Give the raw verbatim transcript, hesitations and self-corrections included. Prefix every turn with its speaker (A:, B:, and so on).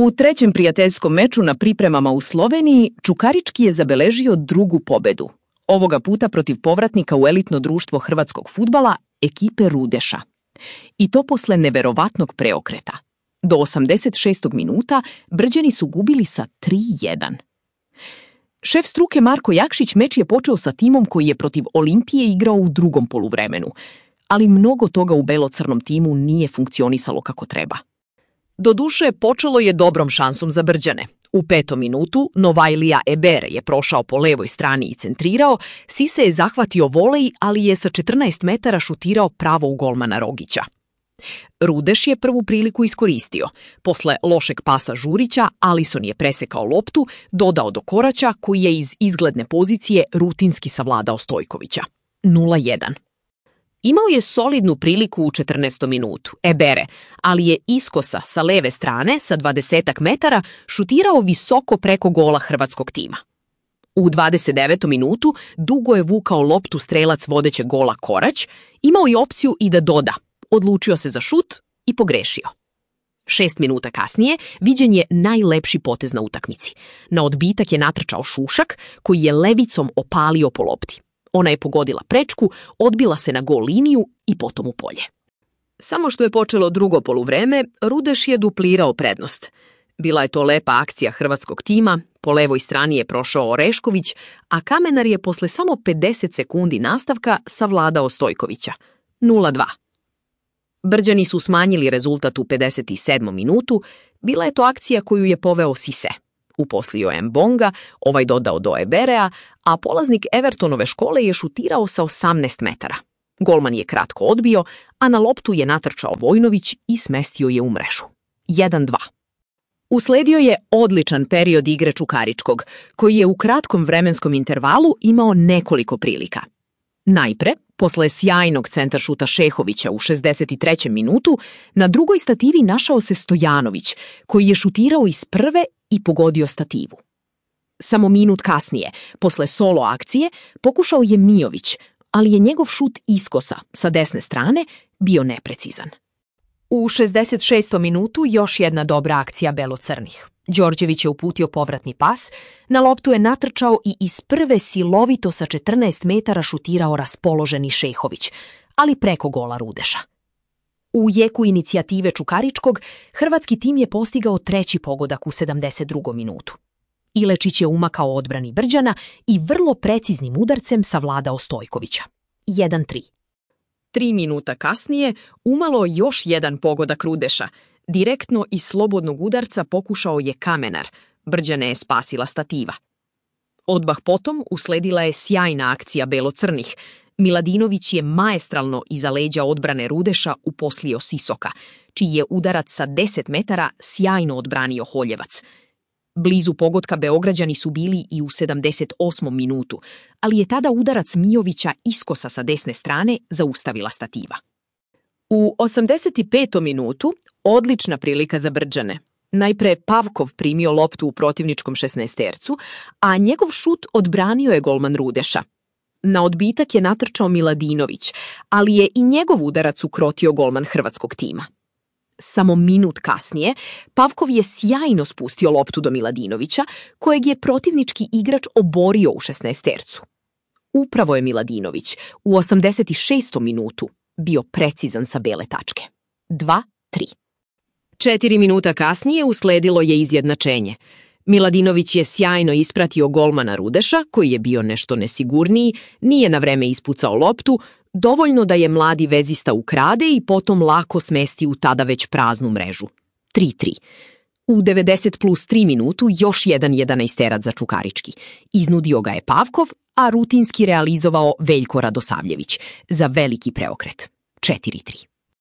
A: U trećem prijateljskom meču na pripremama u Sloveniji Čukarički je zabeležio drugu pobedu. Ovoga puta protiv povratnika u elitno društvo hrvatskog fudbala, ekipe Rudeša. I to posle neverovatnog preokreta. Do osamdeset šestog minuta Brđani su gubili sa tri jedan. Šef struke Marko Jakšić meč je počeo sa timom koji je protiv Olimpije igrao u drugom poluvremenu, ali mnogo toga u belocrnom timu nije funkcionisalo kako treba. Doduše, počelo je dobrom šansom za Brđane. U petom minutu Novajlija Ebere je prošao po levoj strani i centrirao, Sise je zahvatio volej, ali je sa četrnaest metara šutirao pravo u golmana Rogića. Rudeš je prvu priliku iskoristio. Posle lošeg pasa Žurića, Alisson je presekao loptu, dodao do Koraća, koji je iz izgledne pozicije rutinski savladao Stojkovića. nula jedan. Imao je solidnu priliku u četrnaestom minutu, Ebere, ali je iskosa sa leve strane, sa dvadesetak metara, šutirao visoko preko gola hrvatskog tima. U dvadeset devetom minutu dugo je vukao loptu strelac vodećeg gola Korać, imao je opciju i da doda. Odlučio se za šut i pogrešio. Šest minuta kasnije viđen je najlepši potez na utakmici. Na odbitak je natrčao Šušak, koji je levicom opalio po lopti. Ona je pogodila prečku, odbila se na gol liniju i potom u polje. Samo što je počelo drugo poluvreme, Rudeš je duplirao prednost. Bila je to lepa akcija hrvatskog tima, po levoj strani je prošao Orešković, a Kamenar je posle samo pedeset sekundi nastavka savladao Stojkovića. nula dva. Brđani su smanjili rezultat u pedeset sedmom minutu, bila je to akcija koju je poveo Sise. Uposlio je Mbonga, ovaj dodao do Eberea, a polaznik Evertonove škole je šutirao sa osamnaest metara. Golman je kratko odbio, a na loptu je natrčao Vojnović i smestio je u mrežu. jedan dva. Usledio je odličan period igre Čukaričkog, koji je u kratkom vremenskom intervalu imao nekoliko prilika. Najpre, posle sjajnog centaršuta Šehovića u šezdeset trećem minutu, na drugoj stativi našao se Stojanović, koji je šutirao iz prve i pogodio stativu. Samo minut kasnije, posle solo akcije, pokušao je Mijović, ali je njegov šut iskosa sa desne strane bio neprecizan. U šezdeset šestom minutu još jedna dobra akcija belocrnih. Đorđević je uputio povratni pas, na loptu je natrčao i iz prve silovito sa četrnaest metara šutirao raspoloženi Šehović, ali preko gola Rudeša. U jeku inicijative Čukaričkog, hrvatski tim je postigao treći pogodak u sedamdeset drugom minutu. Ilečić je umakao odbrani Brđana i vrlo preciznim udarcem savladao Stojkovića. jedan tri. Tri minuta kasnije umalo još jedan pogodak Rudeša. Direktno iz slobodnog udarca pokušao je Kamenar, Brđane je spasila stativa. Odmah potom usledila je sjajna akcija belocrnih. Miladinović je maestralno iza leđa odbrane Rudeša uposlio Sisoka, čiji je udarac sa deset metara sjajno odbranio Holjevac. Blizu pogotka Beograđani su bili i u sedamdeset osmom minutu, ali je tada udarac Mijovića iskosa sa desne strane zaustavila stativa. U osamdeset petom minutu odlična prilika za Brđane. Najpre Pavkov primio loptu u protivničkom šesnaestercu, a njegov šut odbranio je golman Rudeša. Na odbitak je natrčao Miladinović, ali je i njegov udarac ukrotio golman hrvatskog tima. Samo minut kasnije, Pavkov je sjajno spustio loptu do Miladinovića, kojeg je protivnički igrač oborio u šesnaestercu. Upravo je Miladinović u osamdeset šestom minutu bio precizan sa bele tačke. dva tri. Četiri minuta kasnije usledilo je izjednačenje. Miladinović je sjajno ispratio golmana Rudeša, koji je bio nešto nesigurniji, nije na vreme ispucao loptu, dovoljno da je mladi vezista ukrade i potom lako smesti u tada već praznu mrežu. tri tri. U devedeset plus tri minutu još jedan jedanaesterac za Čukarički. Iznudio ga je Pavkov, a rutinski realizovao Veljko Radosavljević za veliki preokret. četiri tri.